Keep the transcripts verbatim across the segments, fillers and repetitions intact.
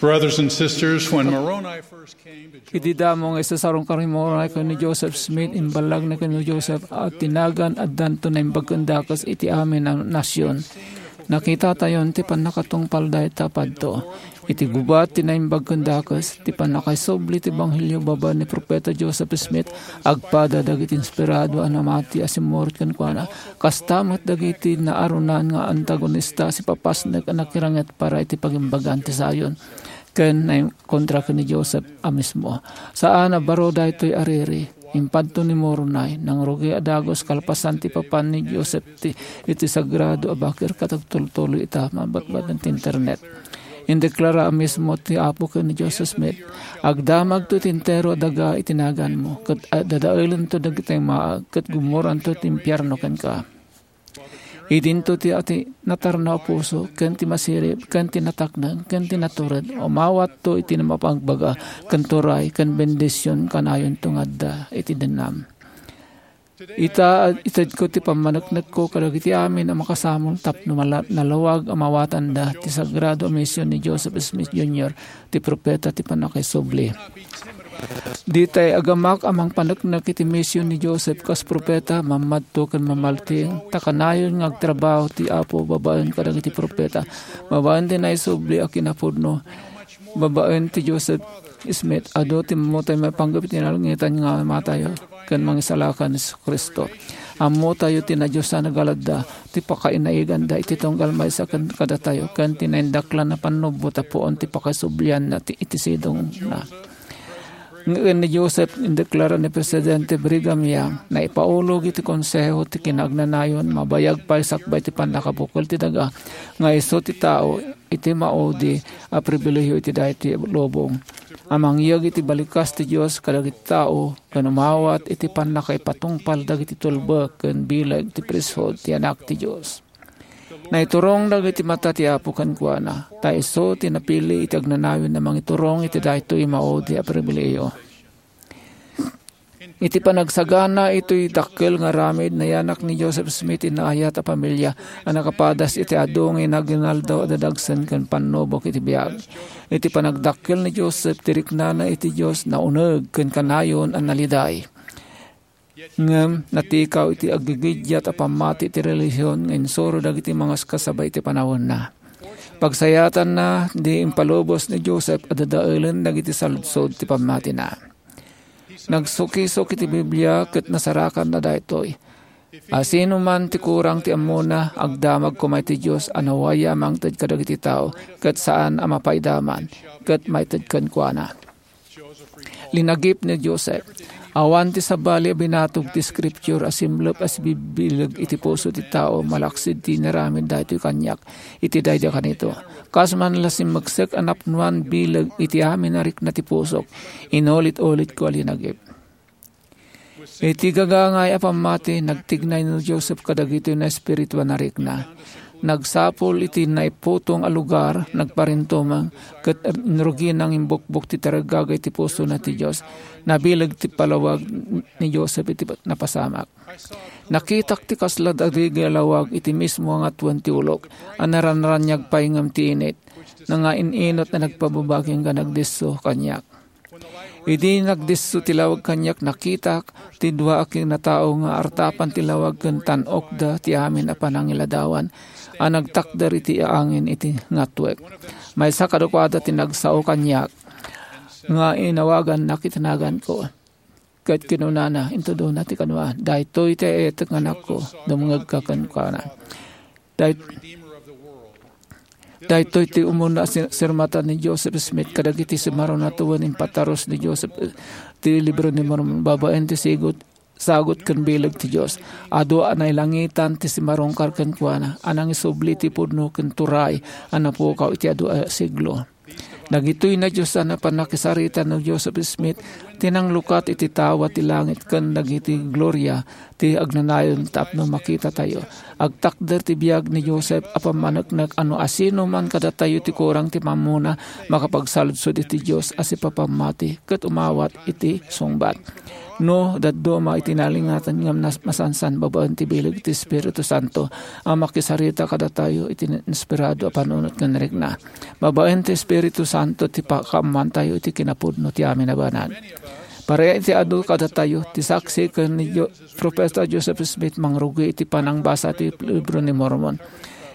Brothers and sisters, when Moroni first came to Idi damo nga isasarungkar ni Moroni ken ni Joseph Smith, imbalagna ken ni Joseph a ti nagan addanto naimbag ken dakes iti amin a nasion. Nakitatayon ti pannakatungpal dayta padto. Iti gubat ti naimbag ken dakes, ti pannakaisubli ti ebanghelio babaen ni Profeta Joseph Smith, agpada dagiti inspirado a namati a simmurot kenkuana. Kasta met dagiti naarunan nga antagonista a sipapasnek a nakiranget para iti pagimbagan ti Zion ken naikontra ken ni Joseph a mismo. Saan a baro daytoy a riri. Impadto ni Moroni, nangrugi a dagus kalpasan ti papan ni Joseph ti, iti sagrado a bakir ket agtultuloy ita mabatbaten ti internet. Indeklara a mismo ti Apo ken ni Joseph Smith, "Agdamagto ti entero a daga iti naganmo, ket dadaelento dagiti maag, ket gummoranto ti impierno kenka." Idinto ti ati natarnaw a puso, ken ti masirib, ken ti natakneng, ken ti natured. Umawatto iti mapagbaga, ken turay, ken bendision kanayonto nga adda iti dennam. Ita, itedko ti pammaneknekko kadagiti amin a makasamol tapno mala-, nalawag a mawatanda ti sagrado a mision ni Joseph Smith Junior, ti profeta ti pannakaisubli. Ditay agamak a mangpaneknek iti mision ni Joseph kas profeta, mammadto ken mamalting, ta kanayon nga agtrabaho ti Apo babaen kadagiti profeta. Babaen ti naisubli a kinapudno, babaen ti Joseph Smith, adu ti ammotay maipanggep iti nalangitan nga Amatayo ken Mangisalakan Jesu-Cristo. Ammotayo ti nadiosan a galadda, ti pakainaiganda iti tunggal maysa ken kadatayo, ken ti naindaklan a pannubot a puon ti pakaisublianna ti, iti sidongna. Ngem ni Joseph, indeklara ni Presidente Brigham Young, naipaulog iti Konseho ti Kinaagnanayon, mabayag pay sakbay ti pannakabukel ti daga, nga isu ti tao iti maudi a pribilehiyo iti daytoy lubong, a mangyeg iti balikas ti Dios kadagiti tao, ken umawat iti pannakaipatungpal dagiti tulbek ken bileg ti priesthood ti Anak ti Dios. Naiturong dagiti mata ti Apo kenkuana, ta isu ti napili iti agnanayon a mangiturong iti daytoy maudi a pribilehiyo. Iti panagsagana itoy dakkel nga aramid, nayanak ni Joseph Smith ti naayat a pamilia a nakapadas iti adu nga inaginaldaw a dadagsen ken pannubok iti biag. Iti panagdakkel ni Joseph ti riknana iti Dios, nauneg ken kanayon a naliday. Ngem natikaw iti aggigiddiat a pammati ti relihion nga insuro dagiti mangaskasaba iti panawenna. Pagsayatanna, di impalubos ni Joseph a dadaelen dagiti saludsod ti pammatina. Nagsukisok iti Biblia ket nasarakanna daytoy. Asino man ti kurang ti ammona, agdamag koma iti Dios a nawaya a mangted kadagiti tao, ket saan a mapaidaman, ket maited kenkuana. Linagip ni Joseph. Awan ti sabali a binatog ti Scripture a simlep a sibibileg iti puso ti tao malaksid ti inaramid daytoy kaniak iti daydi a kanito. Kas man la simmeksek a napnoan bileg iti amin a rikna ti pusok, inulit-ulitko a linagip. Iti gagangay a pammati, nagtignay ni Joseph kadagitoy naespirituan a rikna. Nagsapul iti naiputong a lugar, nagparintumeng, ket inrugina nga imbukbok ti tarigagay ti pusona ti Dios. Nabileg ti palawag ni Joseph iti napasamak. Nakitak ti kasla dagiti lawag iti mismo nga twenty ulok, a naranraniag pay ngem ti init, nga in-inot a nagpababagi nga nagdisso kaniak. Idi nagdisso ti lawag kaniak, nakitak ti dua a kinatao nga artapan ti lawag ken tan-okda ti amin a panangiladawan a nagtakder iti angin iti ngatwek. Maysa kadakuada ti nagsao kaniak nga inawagannak iti naganko. Ket kinunana, intudona ti kanoa, "Daytoy ti aetek nga anakko, dumngegka kenkuana." Day-, daytoy ti umuna a si-, sirmatan ni Joseph Smith kadagiti simarona tawen impatarus ni Joseph, eh, ti Libro ni Mormon babaen ti sigut, sagut ken bileg ti Dios. Adu a nailangitan ti simarungkar kenkuana a nangisubli ti pudno ken turay a napukaw iti adu a siglo. Dagitoy nadiosan a pannakisarita ni Joseph Smith ti nanglukat iti tawa ti langit ken dagiti gloria ti agnanayon tapno makitatayo. Agtakder ti biag ni Joseph a pammaneknek a no asino man kadatayo ti kurang ti mammona, makapagsaludsod iti Dios a sipapammati ket umawat iti sungbat. No, dadduma iti nalingatan ngem nas-, masansan babaen ti bileg ti Espiritu Santo a makisarita kadatayo iti inspirado a panunot ken rikna. Babaen ti Espiritu Santo, Santo ti pakaammoantayo iti kinapudno ti amin a banag. Para iti adu kadatayo, ti saksi ken ni Jo-, Profeta Joseph Smith mangrugi iti panangbasa ti Libro ni Mormon.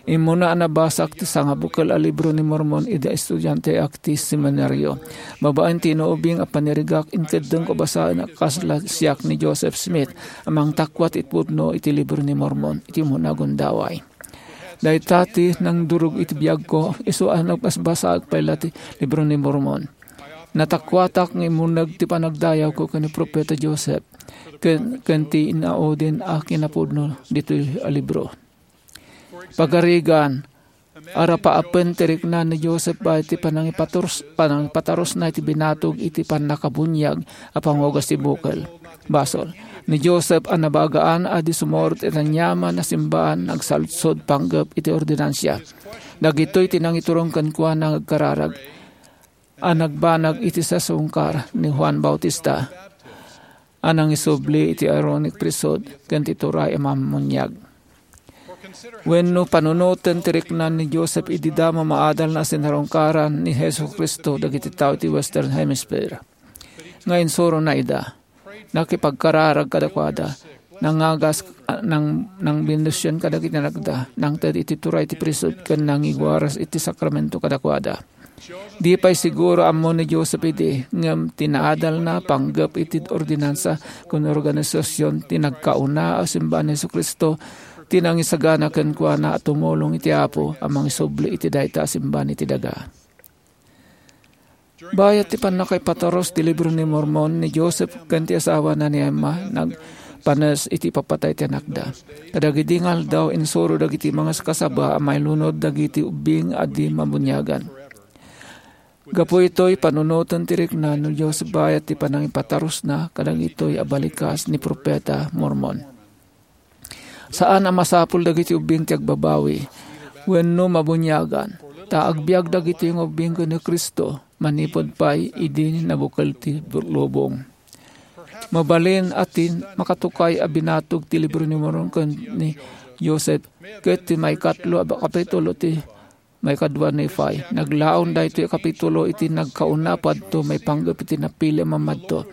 Immuna a nabasak ti sangabukel a Libro ni Mormon idi estudianteak ti seminario. Babaen ti inuubing a panirigak, inkeddengko basaen a kasla siak ni Joseph Smith a mangtakwat iti pudno iti Libro ni Mormon iti umuna a gundaway. Dayta ti nangdurog iti biagko, isu a nagbasbasaek pay la ti Libro ni Mormon. Natakuatak nga immuneg ti panagdayawko ken ni Profeta Joseph ken, ken ti inaudin a kinapudno ditoy a libro. Pagarigan, arapaapen ti rikna ni Joseph baet ti panangipaturs-, panangipatarusna iti binatog iti pannakabuniag a pangugas ti bukel. Basol, ni Joseph a nabagaan a di sumurot iti aniaman a simbaan nagsaludsod panggep iti ordinansia. Dagitoy ti nangiturong kenkuana nga agkararag a nagbanag iti sasungkar ni Juan Bautista a nangisubli iti Aaronic priesthood ken ti turay a mammuniag. Wenno panunoten ti rikna ni Joseph idi damo maadal a sinarungkaran ni Jesu-Cristo dagiti tao ti Western Hemisphere. Nga insurona ida, nakipagkararag kadakuada, nangagas, nang, nangbendision kadagiti anakda, nangted iti turay ti priesthood ken nangiwaras iti sakramento kadakuada. Di pay siguro ammo ni Joseph idi, ngem ti naadalna panggep iti ordinansa ken organisasion ti nagkauna a simbaan ni Jesu-Cristo ti nangisagana kenkuana a tumulong iti Apo a mangisubli iti dayta a simbaan iti daga. Bayat ti pannakaipatarus ti Libro ni Mormon, ni Joseph ken ti asawana ni Emma nagpanes iti ipapatay ti anakda. Kadagidi nga aldaw, insuro dagiti mangaskasaba a mailunod dagiti ubbing a di mabuniagan. Gapu itoy, panunoten ti rikna ni Joseph bayat ti panangipatarusna kadagitoy a balikas ni Profeta Mormon. Saan a masapul dagiti ubbing ti agbabawi wenno mabuniagan, ta agbiag dagitoy nga ubbing ken ni Cristo manipud pay idi nabukel ti lubong. Mabalin a ti makatukay a binatog ti Libro ni Mormon ken ni Joseph ket ti maikatlo a kapitulo ti maikadua Nephi. Naglaon daytoy a kapitulo iti nagkauna padto maipanggep iti napili a mammadto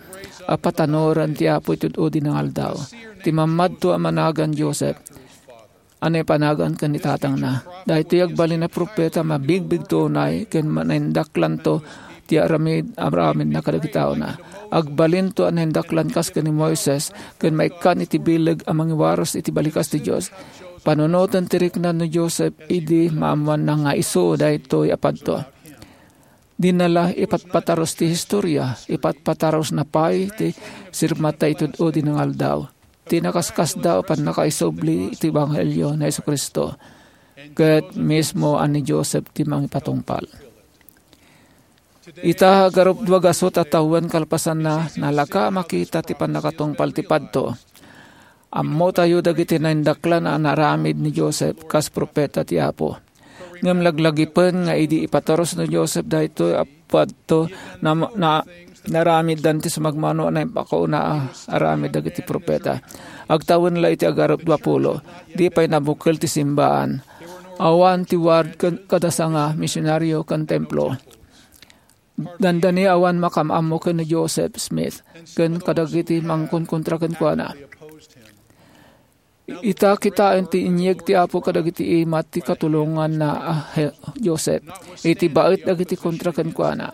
a patanoran ti Apo iti ud-udi nga aldaw. Ti mammadto a managan Joseph a naipanagan ken ni tatangna. Daytoy agbalin a profeta, mabigbigto unay ken ma-, naindaklanto ti aramid, aramidna kadagiti taona. Agbalinto a naindaklan kas ken ni Moises ken maikkan iti bileg a mangiwaras iti balikas ti Dios. Panunoten ti rikna ni Joseph idi maammoanna nga isu daytoy a padto. Dinala ipatpatarus ti historia, ipatpatarusna pay ti sirmata iti ud-udi nga aldaw. Ti nakaskasdaaw a pannakaisubli iti ebanghelio ni Jesu-Cristo, ket mismo a ni Joseph ti mangipatungpal. Ita, agarupdua gasut a tawen kalpasanna, nalaka a makita ti pannakatungpal ti padto. Ammotayo dagiti naindaklan a naaramid ni Joseph kas profeta ti Apo. Ngem laglagipen nga idi ipatarus ni Joseph daytoy a padto, na, na, naaramiddan ti sumagmamano a naimpakauna a aramid dagiti profeta. Agtawen la iti agarupdua pulo, di pay nabukel ti simbaan. Awan ti ward ken kadasanga misionario ken templo. Dandani awan makaam-ammo ken ni Joseph Smith ken kadagiti mangkonkontra kenkuana. Ita, kitaen ti inyeg ti Apo kadagiti imat ti katulonganna a he-, Joseph iti baet dagiti kontra kenkuana.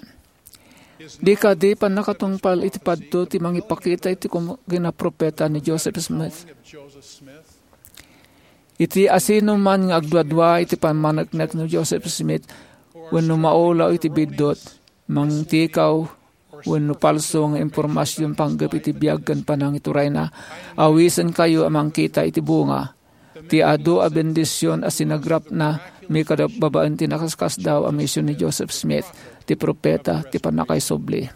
Di kadi pannakatungpal iti padto ti mangipakita iti kum-, kinaprofeta ni Joseph Smith? Iti asino man nga agduadua iti pammaneknek ni Joseph Smith wenno maulaw iti biddut, mangtikaw, wenno palso nga impormasion panggep iti biag ken panangiturayna, awisenkayo a mangkita iti bunga ti adu a bendision a sinagrapna, mikadap babaen ti nakaskasdaaw a mision ni Joseph Smith, ti profeta ti pannakaisubli.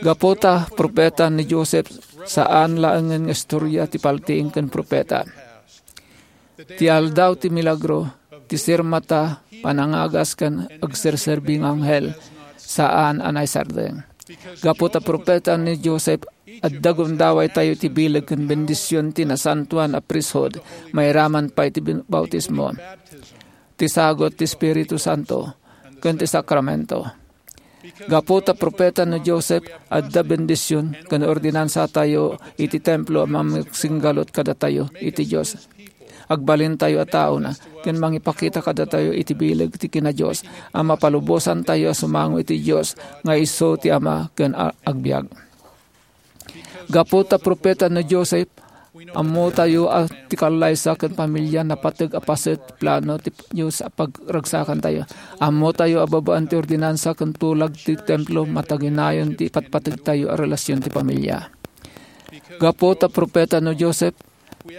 Gapu ta profeta ni Joseph, saan laengen nga istoria ti paltiing ken profeta. Ti aldaw ti milagro, ti sirmata, panangagas ken agserserbi nga anghel, saan a naisardeng. Gapu ta profeta ni Joseph, adda gundawaytayo ti bileg ken bendision ti nasantoan a priesthood, mairaman pay ti bin-, bautismo, ti sagut ti Espiritu Santo, ken ti sakramento. Gapu ta profeta ni Joseph, adda bendision ken ordinansatayo iti templo a mangsinggalut kadatayo iti Dios. Agbalintayo a taona ken mangipakita kadatayo iti bileg ti kina-Dios a mapalubosantayo a sumango iti Dios nga isu ti Ama ken a-, agbiag. Gapu ta profeta ni Joseph, ammotayo a ti kallaysa ken pamilia napateg a paset ti plano ti Dios a pagragsakantayo. Ammotayo a babaen ti ordinansa ken tulag ti templo, mataginayon ti ipatpategtayo a relasion ti pamilia. Gapu ta profeta ni Joseph,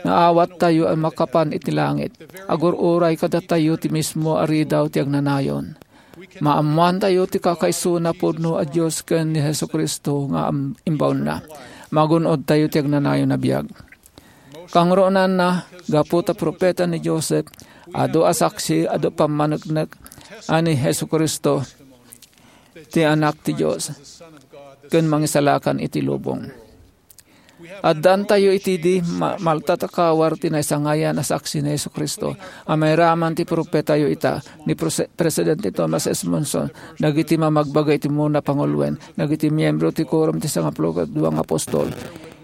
naawattayo a makapan iti langit. Agur-uray kadatayo ti mismo a ridaw ti agnanayon. Maammoantayo ti kakaisuna pudno a Dios ken ni Jesu-Cristo nga am-, imbaonna. Magun-odtayo ti agnanayon a biag. Kangrunanna, gapu ta profeta ni Joseph, adu a saksi, adu pammaneknek a ni Jesu-Cristo ti Anak ti Dios ken Mangisalakan iti lubong. Addantayo iti di ma-, malta a kawar ti naisangayan a saksi ni Jesu-Cristo a mairaman ti profetayo ita, ni Prose-, Presidente Thomas S. Monson, dagiti mamagbaga iti umuna panguloen, dagiti miembro ti Quorum ti Sangapulo ket Dua nga Apostol.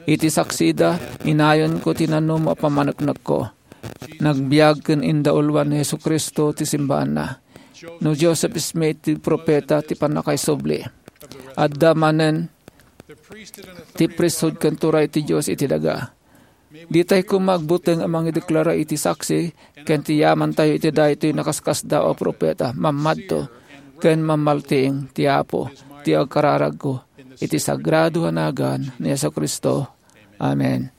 Iti saksida, inayonko ti nanumo a pammaneknekko. Nagbiag ken indauluan ni Jesu-Cristo ti simbaanna. No Joseph Smith ti profeta ti pannakaisubli, adda manen ti priesthood ken turay ti Dios iti daga. Ditay koma agbuteng a mangideklara iti saksi ken ti yamantayo iti daytoy nakaskasdaaw a profeta, mammadto ken mammaltiing ti Apo ti agkararagko iti sagrado a nagan ni Jesu-Cristo. Amen.